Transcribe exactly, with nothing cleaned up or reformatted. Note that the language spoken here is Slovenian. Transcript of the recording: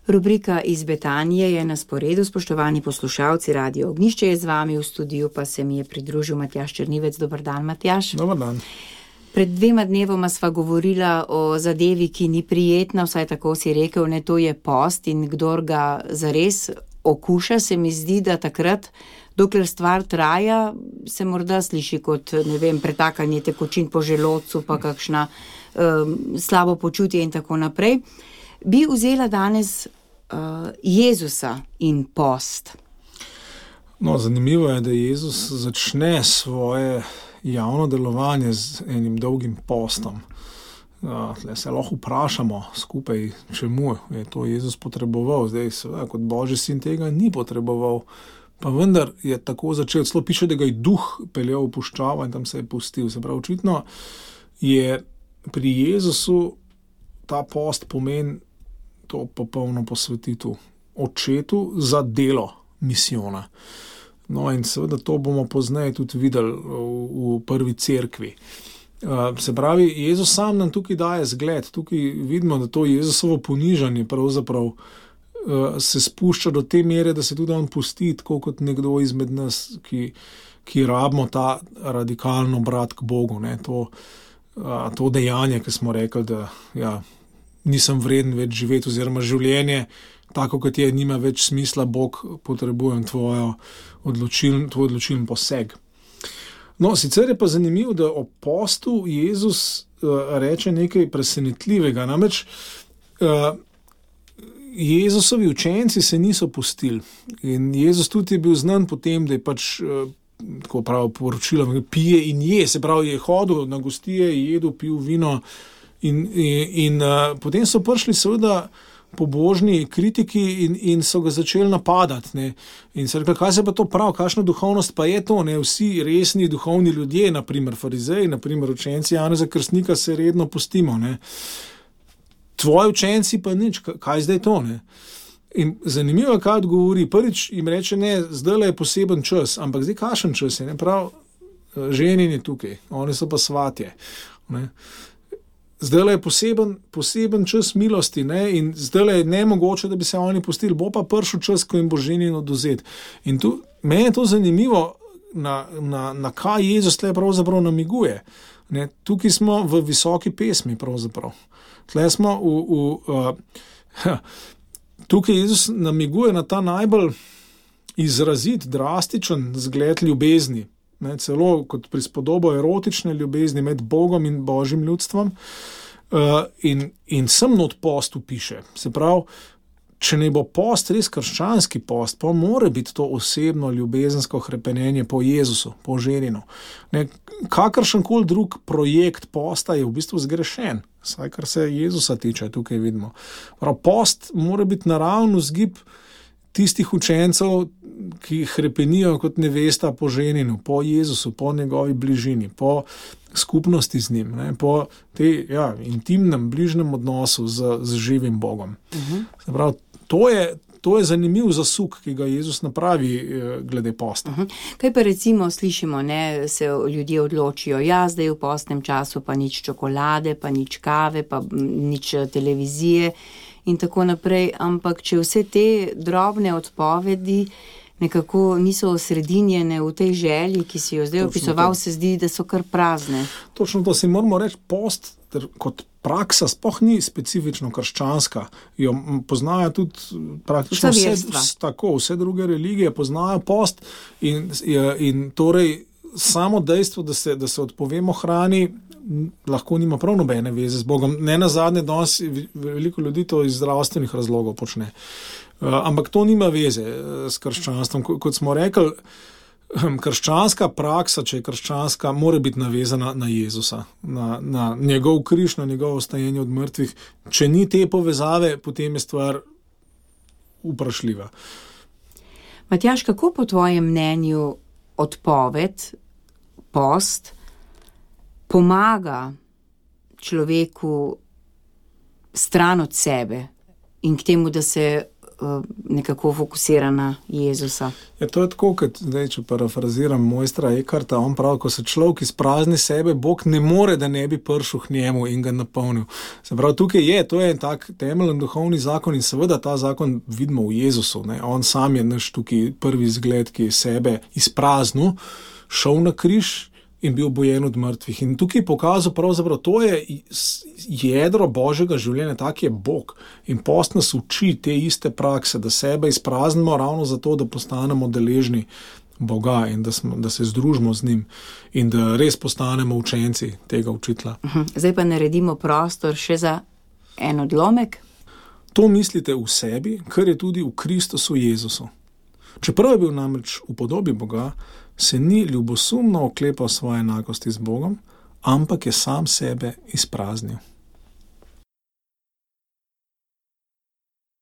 Rubrika Iz Betanije je na sporedu, spoštovani poslušalci, Radio Ognjišče je z vami, v studiu pa se mi je pridružil Matjaž Črnivec. Dober dan, Matjaž. Dober dan. Pred dvema dnevoma sva govorila o zadevi, ki ni prijetna, vsaj tako si rekel, ne, to je post, in kdor ga zares okuša, se mi zdi, da takrat, dokler stvar traja, se morda sliši kot, ne vem, pretakanje tekočin po želodcu, pa kakšna um, slabo počutje in tako naprej. Bi vzela danes uh, Jezusa in post. No, zanimivo je, da Jezus začne svoje javno delovanje z enim dolgim postom. Uh, tle se lahko vprašamo skupaj, čemu je to Jezus potreboval. Zdaj, seveda, kot Božji sin tega ni potreboval, pa vendar je tako začel. Celo piše, da ga je duh peljal v puščavo in tam se je pustil. Se pravi, očitno je pri Jezusu ta post pomen to popolno posvetitev očetu za delo misijona. No in seveda to bomo pozneje tudi videli v, v prvi cerkvi. Uh, se pravi, Jezus sam nam tukaj daje zgled, tukaj vidimo, da to Jezusovo ponižanje pravzaprav uh, se spušča do te mere, da se tudi on pusti, tako kot nekdo izmed nas, ki, ki rabimo ta radikalno obrat k Bogu. Ne? To, uh, to dejanje, ki smo rekli, da ja, nisem vreden več živeti, oziroma življenje, tako kot je, nima več smisla, Bog, potrebujem tvojo odločiln, tvoj odločilen poseg. No, sicer je pa zanimivo, da o postu Jezus uh, reče nekaj presenetljivega. Namreč uh, Jezusovi učenci se niso pustili in Jezus tudi je bil znan po tem, da je pač uh, tako prav poročilo, pije in je, se pravi, je hodil na gostije, je jedel, pil vino in, in, in uh, potem so prišli seveda pobožni kritiki in, in so ga začeli napadati. Ne. In se rekli, kaj se pa to pravi, kakšna duhovnost pa je to? Ne. Vsi resni duhovni ljudje, naprimer farizeji, naprimer učenci Janeza Krstnika, se redno pustimo. Ne. Tvoji učenci pa nič, kaj zdaj to? Ne. In zanimivo, kaj odgovori. Prvič jim reče, ne, zdaj je poseben čas, ampak zdaj kakšen čas je? Ne. Prav, ženin je tukaj, oni so pa svatje. Ne. Zdaj je poseben, poseben čas milosti, ne? In zdaj je nemogoče, da bi se oni pustili. Bo pa prišel čas, ko jim bo ženin odvzet. In tu, meni je to zanimivo, na, na, na kaj Jezus tle pravzaprav namiguje. Ne? Tukaj smo v visoki pesmi pravzaprav. Tle smo v, v, uh, tukaj Jezus namiguje na ta najbolj izrazit, drastičen zgled ljubezni. Ne, celo kot prispodobo erotične ljubezni med Bogom in Božjim ljudstvom, uh, in, in sem not postu piše. Se pravi, če ne bo post res krščanski post, pa mora biti to osebno ljubezensko hrepenenje po Jezusu, po ženinu. Ne, kakršenkoli drug projekt posta je v bistvu zgrešen, saj kar se Jezusa tiče, tukaj vidimo. Prav, post mora biti naravno vzgib tistih učencev, ki hrepenijo kot nevesta po ženinu, po Jezusu, po njegovi bližini, po skupnosti z njim, ne, po tej ja, intimnem, bližnem odnosu z, z živim Bogom. Uh-huh. Se pravi, to je, to je zanimiv zasuk, ki ga Jezus napravi eh, glede posta. Uh-huh. Kaj pa recimo slišimo, ne, se ljudje odločijo, ja, zdaj v postnem času pa nič čokolade, pa nič kave, pa nič televizije in tako naprej, ampak če vse te drobne odpovedi nekako niso osredinjene v tej želji, ki si jo zdaj opisoval, se zdi, da so kar prazne. Točno to si moramo reči, post kot praksa sploh ni specifično krščanska. Jo poznajo tudi praktično vse, tako, vse druge religije, poznajo post in, in torej samo dejstvo, da se, da se odpovemo hrani, lahko nima prav nobene veze z Bogom. Ne nazadnje, danes veliko ljudi to iz zdravstvenih razlogov počne. Uh, ampak to nima veze s krščanstvom. Kot smo rekli, krščanska praksa, če je krščanska, mora biti navezana na Jezusa, na, na njegov križ, na njegovo vstajenje od mrtvih. Če ni te povezave, potem je stvar vprašljiva. Matjaž, kako po tvojem mnenju odpoved, post, pomaga človeku stran od sebe in k temu, da se nekako fokusiran na Jezusa. Ja, to je tako, kot zdaj, če parafraziram mojstra Ekarta, on pravi, ko se človek izprazni sebe, Bog ne more, da ne bi prišel k njemu in ga napolnil. Se pravi, tukaj je, to je en tak temeljen duhovni zakon in seveda ta zakon vidimo v Jezusu. Ne? On sam je naš tukaj prvi zgled, ki je sebe izpraznil, šel na križ in bil bojen od mrtvih. In tukaj je pokazal pravzaprav, to je jedro Božjega življenja, tak je Bog. In post nas uči te iste prakse, da sebe izpraznimo ravno zato, da postanemo deležni Boga in da, smo, da se združimo z njim in da res postanemo učenci tega učitelja. Zdaj pa naredimo prostor še za en odlomek. To mislite v sebi, kar je tudi v Kristusu Jezusu. Čeprav je bil namreč v podobi Boga, se ni ljubosumno oklepal svoje enakosti z Bogom, ampak je sam sebe izpraznil.